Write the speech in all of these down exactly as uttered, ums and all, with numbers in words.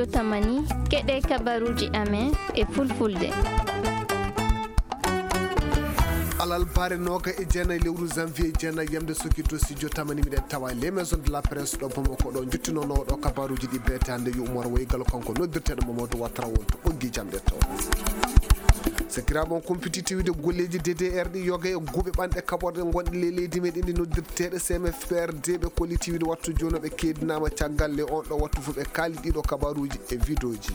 Tamani, keɗe kabaruuji amen e fulfulde. Alarba, nooga e jeenayi lewru janvier, jeenayi yamde sokito studio Tamani, miɗen tawa les maisons de la presse ɗo Bamako ɗo, jottinoowo ɗo kabaruuji ɗi beetaande yo Umar Waygal, kanko noddirteeɗo Mamadou Ouattara wonto ɓoggi jamɗe to. Sakiraaɓe, on kumpiti tiwide golleeji D D R ɗi yoga e guuɓe ɓanɗe kaɓorɗe gonɗe ley leydi meɗen ɗi noddirteeɗe C M F P R D, ɓe kolliti wiide wattu jooni ɓe keedinaama caggal le on ɗo wattu fof ɓe kaali ɗiɗo kabaruuji e vidéoji.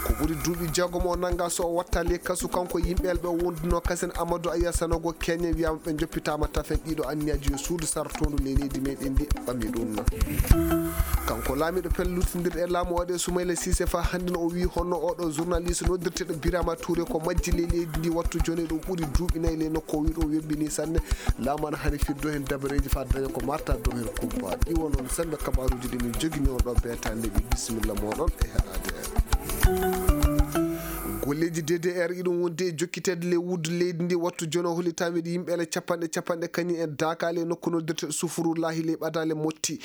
Ko ɓuri duuɓi jeegom o nannga so o watta ley kasu, kanko yimɓe ɓe wonduno kasen Amadou Aya Sanogo Keñe wiyaama ɓe joppitaama tafen ɗiɗo anniyaaji yo suudu sartoondu ley leydi meɗen ndi ɓami ɗum. Kanko laamiiɗo pellutindirɗe e laamu o ɗe Soumaïla Cissé fa hannde no o wii honno oɗo journaliste noddirteeɗo Birama Touré ko majji ley leydi ndi wattu jooni ɗum ɓuri duuɓi nayi ley nokku o wii ɗum webbini sanne. Laamu ana hani firdo heen dabareeji fa daña ko marta dow heen kumpa. Ɗi wonno sembe kabaruuji ɗi min jogini on ɗo beetaande ɗi. Bisimilla moɗon e heɗaade en. Golleeji D D R iɗum wonde e jokkiteede ley wuddu leydi ndi wattu jooni o hollitaama wiide yimɓe ele capanɗe capanɗe kañum en daakaali e nokku noddirteeɗo Sufurullahi ley ɓadaale motti.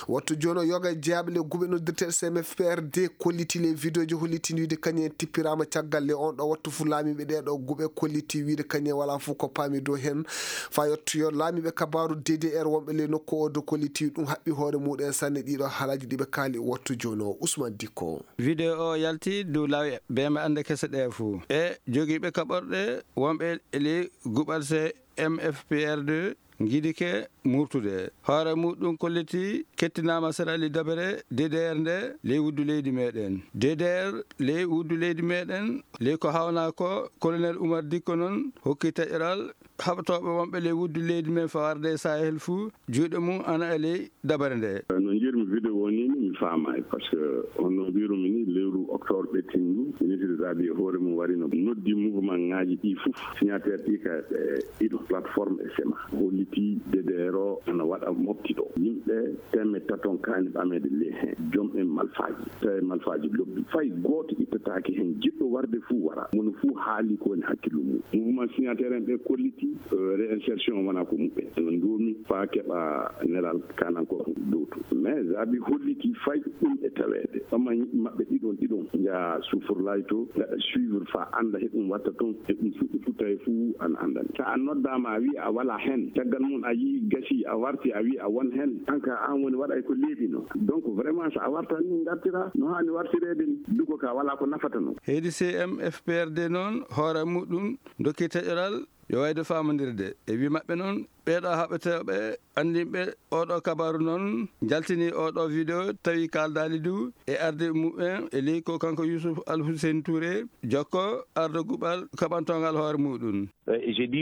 Wattu jooni o yoga e jeyaaɓe le guuɓe noddirteeɗo C M F P R D kolliti le vidéoji hollitini wiide kañum en tippiraama caggal le on ɗo wattu fu laamiiɓe ɗee ɗo guuɓe kolliti wiide kañum en wala fof ko paami dow heen. Fa yottoyo laamiiɓe kabaaru D D R wonɓe le nokku o do kolliti ɗum haɓɓi hoore muɗum en sanne ɗiɗo haalaaji ɗi ɓe kaali wattu jooni o. Ousmane Dikko. Vidéo o yalti dow laawi beema annde kese ɗe fuu. E jogiiɓe kaɓorɗe wonɓe le guɓal C M F P R D ngidike murtude. Hoore muɗum kolliti kettinaama Sirali Dabere D D R nde ley wuddu leydi meɗen. D D R ley wuddu leydi meɗen ley ko hawna ko Colonel Oumar Dikko noon hokki taƴoral haɓtooɓe wonɓe ley wuddu leydi men fawarde e Sahel fuu juuɗe mum ana e ley dabare nde. No njiyirmi vidéo o ni, ni mi faamaay, parce que honno mbirumi ni, lewru octobre ɓettindu, ministre Zabi e hoore mum wari no noddi mouvement ŋaaji ɗi fof, signataire ɗi ka, eh, ɗiɗo, plateforme e sema. Holliti D D R o ana waɗa mofti ɗo. Yimɓe teme taton kaani ɓameede le heen. Joom en malfaaji. Tawi malfaaji lobbi. Fay gooto ittataake heen. Jiɗɗo warde fuu wara. Mono fuu haali ko woni hakkillu mum. Mouvement signataire en ɓe kolliti, eh, réinsertion wona ko muɓɓen. Ɓe ndoomi faa keɓa nelal kananko dowtu. Mais Zabi holliti fay ɗum e taweede. Ɓama maɓɓe ɗiɗon, ɗiɗon njaha Sufurlaay to, ngaɗa suivre faa annda he ɗum watta toon, he ɗum fuɗɗi futtay fuu ana anndani. So a noddaama, a wii a walaa heen, caggal mum a yii gasii, a warti, a wii a won heen, aan ka aan woni waɗay ko leeɓi no. Donc vraiment, so a wartan ni ngartira no haani wartireede ni, duko ka walaa ko nafata no. Heedi C M F P R D noon, hoore muɗum dokki taƴoral yo wayde faamondirde. E wii maɓɓe noon, ɓeeɗo haɓetooɓe anndinɓe oɗo kabaru noon njaltini oɗo vidéo, tawi kaaldaali du e arde muɓɓen e ley ko kanko Youssouf Al Hussein Touré jokko ardoguɓal kaɓantongal hoore muɗum.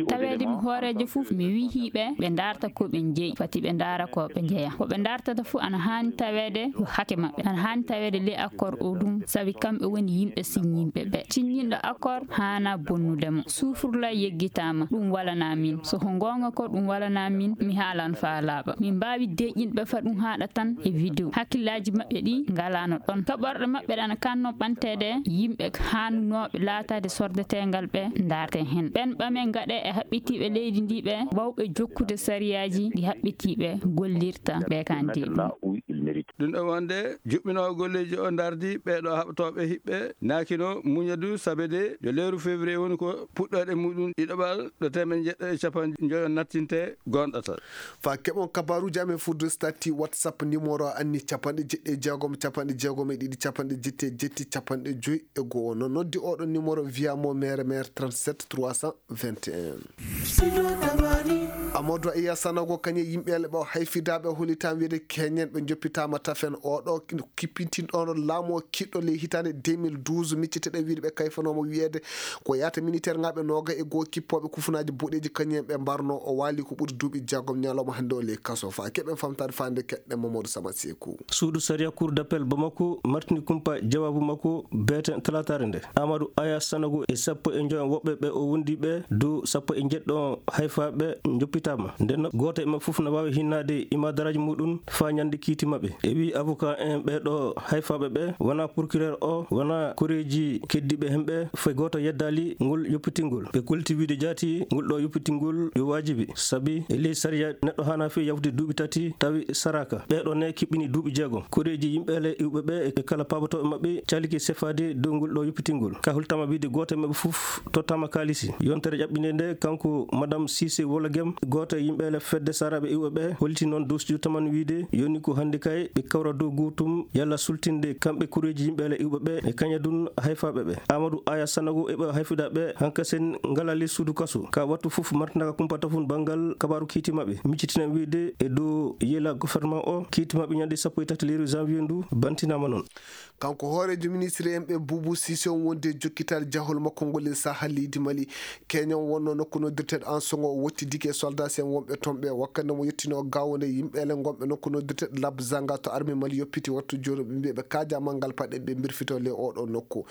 Taweede mi hooreejo fof, mi wihii ɓe, ɓe ndaarta ko ɓe njeyi, fati ɓe ndaara ko ɓe njeya. Ko ɓe ndaartata fof ana haani taweede ko hake maɓɓe, ana haani taweede ley accord o ɗum, sabi kamɓe woni yimɓe siññinɓe ɓe. Siññinɗo accord haana bonnude mo. Suufurla yeggitaama, ɗum walanaa min. So ko goonga ko ɗum walanaa min, mi haalan faa laaɓa. Min mbaawi deeƴinɓe fa ɗum haaɗa tan e vidéo. Hakkillaaji maɓɓe ɗi ngalaano ɗon. Kaɓorɗe maɓɓe ɗe ana kanno ɓanteede yimɓe haanunooɓe laataade sordeteengal ɓe ndaarte heen. Ɓeen ɓame ngaɗe e haɓɓitiiɓe leydi ndi ɓe waawɓe jokkude sariyaaji ɗi haɓɓitiiɓe gollirta ɓe kan deeƴi. Ɗum ɗo wonde juɓɓinoowo golleeji o ndardi ɓeeɗo haɓtooɓe hiɓɓe naakino muña du sabe de yo lewru février woni ko puɗɗooɗe muɗum ɗiɗaɓal ɗo teemeɗɗe jeɗɗo e capanɗe njoyo nattinte goonɗata. Fa keɓon kabaruuji amen fudde stati WhatsApp numéro anni capanɗe jeɗɗi e jeegom, capanɗe jeegom e ɗiɗi, capanɗe jetti e jetti, capanɗe joy e go'o. No noddi oɗo numéro via mo mere mere trente-sept trois cent vingt et un. Amadou Iya Sanogo kañe yimɓe ele ɓe o hayfidaaɓe o holitaama wiyde keñen ɓe joppitaama tafen oɗo kippintinɗo on laamu o kiɗɗo ley hitaande deux mille douze, micciteɗe wiyde ɓe kayfanooma wiyeede ko yaata militaire ŋaaɓe nooga e goo kippooɓe kufunaaji boɗeeji kañen ɓe mbarno o waali ko ɓuri duuɓi jeegom ñalawma hannde o ley kaso. Fa keɓen famtaade faande keɗɗen Mamadou Sama Seeku. Suudu sariya Cour d'appel Bamako martini kumpa jawaabu makko beeten talaataare nde. Amadou Aya Sanogo e sappo e njoyo woɓɓe ɓe o wondi ɓe dow sappo e jeɗɗo Hayfaaɓe njoppitaama. Nden gooto e maɓɓe fof na waawi hinnaade imadaraaji muɗum faa ñande kiiti maɓɓe. E wii avocat en ɓee ɗo hayfaaɓe ɓe wonaa procureur o, wonaa koreeji keddiiɓe hemɓe, fay gooto yeddaali ngol yoppitingol. Ɓe kolti wiide jaati ngol ɗo yoppitingol yo waajibi, sabi e ley sariya neɗɗo haanaa fii yawtude duuɓi tati tawi saraaka. Ɓee ɗo ne kiɓɓini duuɓi jeegom. Koreeji yimɓe le iwɓe ɓe e kala paabatooɓe maɓɓe caliki sefaade dow ngol ɗo yoppitingol. Ka hultama wiide gooto e maɓɓe fof tottama kaalisi. Yontere ƴaɓɓinde nde, kanko Madame Cissé Wologem, gooto e yimɓe le fedde saraaɓe iwɓe ɓe, holti noon dow studio taman wiide yoni ko hannde kay ɓe kawra dow gootum yalla sultinde kamɓe koreeji yimɓe le iwɓe ɓe e kaña dun hayfaaɓe ɓe. Amadou Aya Sanogo e ɓe hayfuɗa ɓe hankasen ngala le suudu kaso. Ka wattu fof martindaka kumpa tafun banngal kabaaru kiiti maɓɓe. Miccitinan wiide e dow yela gouvernement o, kiiti maɓɓe ñande sappo e tati lewru janvier ndu bantinaama noon. Kanko hooreejo ministre en ɓe Boubou Cissé on wondi e jokkitaade jahol makko ngol e saha leydi Mali. Keñon wonno nokku noddirteeɗo Ansongo o wottidike e soldat en wonɓe toon ɓe wakkande mo yettino gaawo nde yimɓe ele ngonɓe nokku noddirteeɗo Lab Zanga to armée Mali yoppiti wattu jooni ɓe mbiya ɓe kaaja manngal paɗe ɓe mbirfito le oɗo nokku.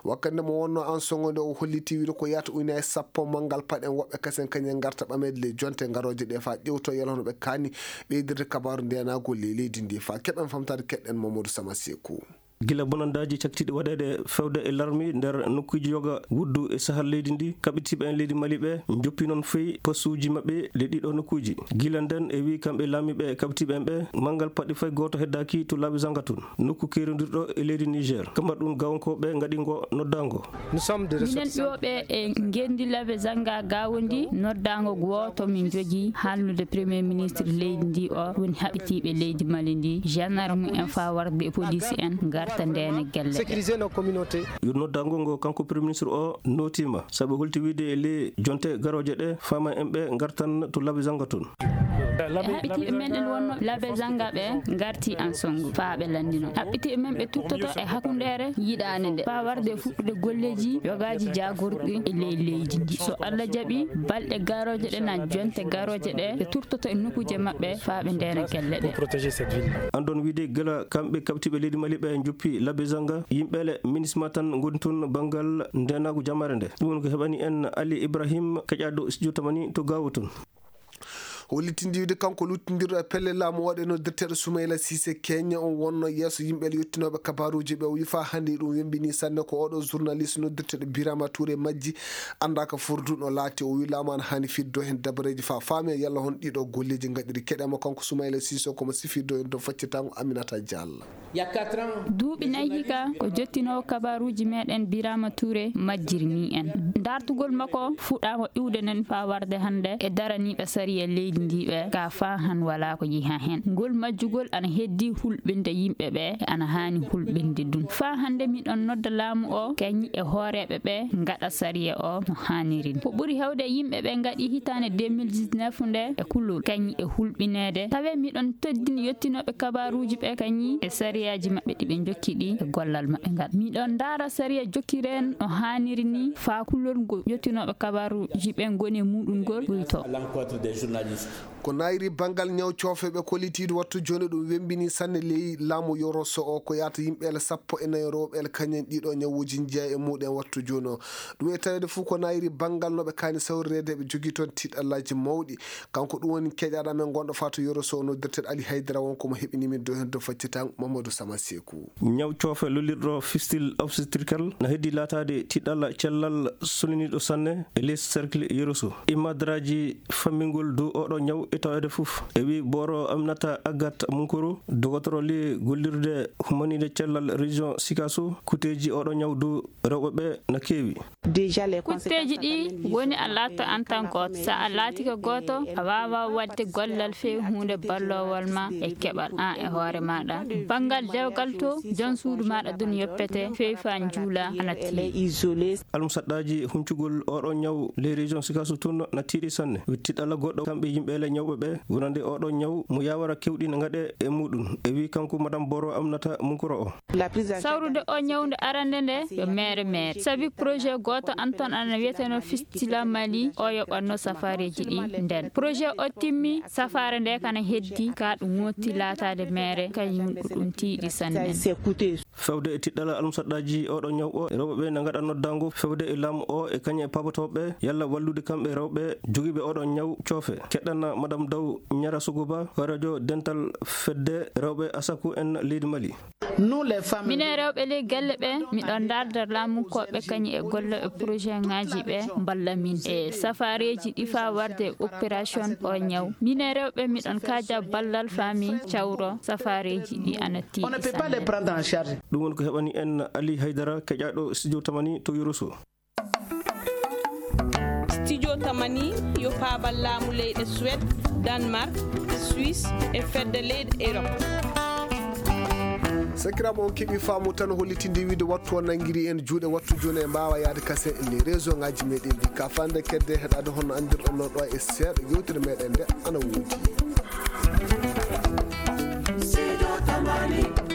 Wakkande mo wonno Ansongo nde o holliti wiide ko yahata ujunaaji sappo manngal paɗe woɓɓe kasen kañen ngarta ɓameede le jonte ngarooje ɗe faa ƴewto yala hono ɓe kaani ɓeydirde kabaaru ndenaagu ley leydi ndi faa keɓen famtaade keɗɗen Mamadou Sama Seku. Gila bonandaaji caktiiɗi waɗeede fewde e larmi nder nokkuuji yoga wuddu e sahal leydi ndi, kaɓitiiɓe en leydi Mali ɓe njoppi noon fii postuuji maɓɓe le ɗiɗo nokkuuji. Gila nden e wii kamɓe laamiiɓe e kaɓitiiɓe en ɓe, manngal paɗi fay gooto heddaaki to laabi zanga tun, nokku keerindirɗo e leydi Niger. Kamar ɗum gawankooɓe ngaɗi ngo noddaango. Minen iwɓe e ngenndi laabi zanga gawondi noddaango gooto min njogii haalnude premier ministre leydi ndi o woni haɓitiiɓe leydi Mali ndi, gendarme en faa warde e police en ngarta ndeena gelle ɗe. Yo noddaango ngo kanko premier ministre o nootiima, sabu holti wiide e ley jonte garooje ɗe, fama en ɓe ngartan to laabi zanga tun. E haɓitiiɓe men en wonno laabi zanga ɓe ngarti Ansongo faa ɓe lanndino. Haɓitiiɓe men ɓe tuttoto e hakkundeere yiɗaande nde faa warde e fuɗɗude golleeji yogaaji jaagorɗi e ley leydi ndi. So Allah jaɓi, balɗe garooje ɗe na jonte garooje ɗe, ɓe turtoto e nokkuuje maɓɓe faa ɓe ndeena gelle ɗe. Andon wiide gila kamɓe kaɓtiiɓe leydi Mali ɓe njoppi laabi zanga, yimɓe le MINUSMA tan ngoni toon banngal ndeenaagu jamaare nde. Ɗum woni ko heɓani en Ali Ibrahim, keƴaaɗo studio tamani to Gaawo toon. Hollitinde wiide kanko luttindirɗo e pelle laamu o ɗe noddirteeɗo Soumaïla Cissé Kenya on wonno yeeso yimɓe le yottinooɓe kabaaruuji ɓe, o wi faa hannde ɗum wembini sanne ko oɗo journaliste noddirteeɗo Birama Touré majji anndaa ka furdu no laati. O wi laamu ana haani fiddo heen dabareeji faa faame yalla hon ɗiɗo golleeji ngaɗiri. Keɗe mo kanko Soumaïla Cissé ko mo sifirdo en to faccitango Aminata Diallo. Duuɓi nayi hika ko jottinoowo kabaaruuji meɗen Birama Touré majjirni en. Dartugol makko fuɗɗaama iwde nen faa warde hannde e daraniiɓe sariya leydi ndi ɓe ka faa han walaa ko yiha heen. Ngol majjugol ana heddi hulɓinde yimɓe ɓe, ana haani hulɓinde dun. Faa hannde miɗon nodda laamu o kañi e hooreeɓe ɓe ngaɗa sariya o no haaniri ni. Ko ɓuri hewde yimɓe ɓe ngaɗi hitaande deux mille dix-neuf nde e kulol kañi e hulɓineede. Tawe miɗon teddini yottinooɓe kabaaruuji ɓe kañi e sariyaaji maɓɓe ɗi ɓe njokki ɗi e gollal maɓɓe ngal. Miɗon ndaara sariya jokkireen no haaniri ni faa kulol ngo yottinooɓe kabaaruuji ɓe ngoni e muɗum ngol ɓuyto. Ko naayiri banngal ñaw coofe ɓe kollitiiɗo wattu jooni ɗum wembini sanne ley laamu Yoroso o ko yaata yimɓe ele sappo e nayo rewɓe ele kañen ɗiɗo ñawuuji njeya e muɗum wattu jooni o. Ɗum e taweede fof ko naayiri banngal no ɓe kaani sawrireede ɓe jogii toon tiiɗallaaji mawɗi. Kanko ɗum woni keƴaaɗo amen gonɗo faa to Yoroso o noddirteeɗo Ali Haydara won ko mo heɓini min dow heen to faccitango Mamadou Sama Seku. Ñaw coofe lollirɗo fistule obstétricale na heddi laataade tiiɗalla cellal soniniiɗo sanne e les cercle Yoroso. Imadraaji fammingol dow oɗo ñaw e taweede fof. E wi booro Aminata Agat Munkuru, dogotoro li gollirde humaniiɗe cellal région Sikaso, kuteeji oɗo ñaw dow rewɓe ɓe na keewi. Kutteeji ɗi woni a laatto en tant que gooto. So a laatike gooto, a waawaa waɗde gollal feewi huunde balloowol ma e keɓal an e hoore maaɗa. Banngal dewgal to, jon suudu maaɗa dun yoppete, feewi faa njuula ana tiiɗi. Almusaɗɗaaji huncugol oɗo ñaw ley région Sikaso tun na tiiɗi sanne. Tiiɗalla goɗɗo kamɓe yimɓe le Ñawɓe ɓe wonande oɗo ñaw mo yawara kewɗi no ngaɗe e muɗum, e wi kanko madame Boro Aminata Munkuro o. Sawrude o ñawnde arande nde yo meere meere. Sabi projet gooto an ton ana wiyeteno Fistila Mali, o yoɓatno safareeji ɗi nden. Projet o timmi, safaare nde kana heddi, ka ɗum wonti laataade meere, kañum ko ɗum tiiɗi sanne. Fewde e tiɗɗala almusaɗɗaaji oɗo ñaw o, rewɓe ɓe na ngaɗa noddaango fewde e laamu o e kañe e paabotooɓe yalla wallude kamɓe rewɓe jogiiɓe oɗo ñaw coofe. Keɗɗana madame Daw Ñara Suguba, hooreejo dental fedde rewɓe Asaku en leydi Mali. Minen rewɓe ley galle ɓe, miɗon ndaarda laamunkooɓe kañum e golle e projet ŋaaji ɓe mballa min e safareeji ɗi faa warde e opération o ñaw. Minen rewɓe, miɗon kaaja ballal faa mi cawro safareeji ɗi ana tiiɗi sanne. Ɗum woni ko heɓani en Ali Haydara, keƴaaɗo studio Tamani to Yoroso. Studio Tamani yo paabal laamu leyɗe Suède, Danemark, Suisse e fedde leyɗe Europe. Sakiraaɓe, on keɓii faamu tan, hollitinde wiide wattu o nanngiri en juuɗe, wattu jooni en mbaawa yahde kasen e les réseau ŋaaji meɗen ɗi. Ka faande kedde heɗaade hono anndirɗon non ɗo e seeɗa, yewtere meɗen nde ana woodi. Studio Tamani.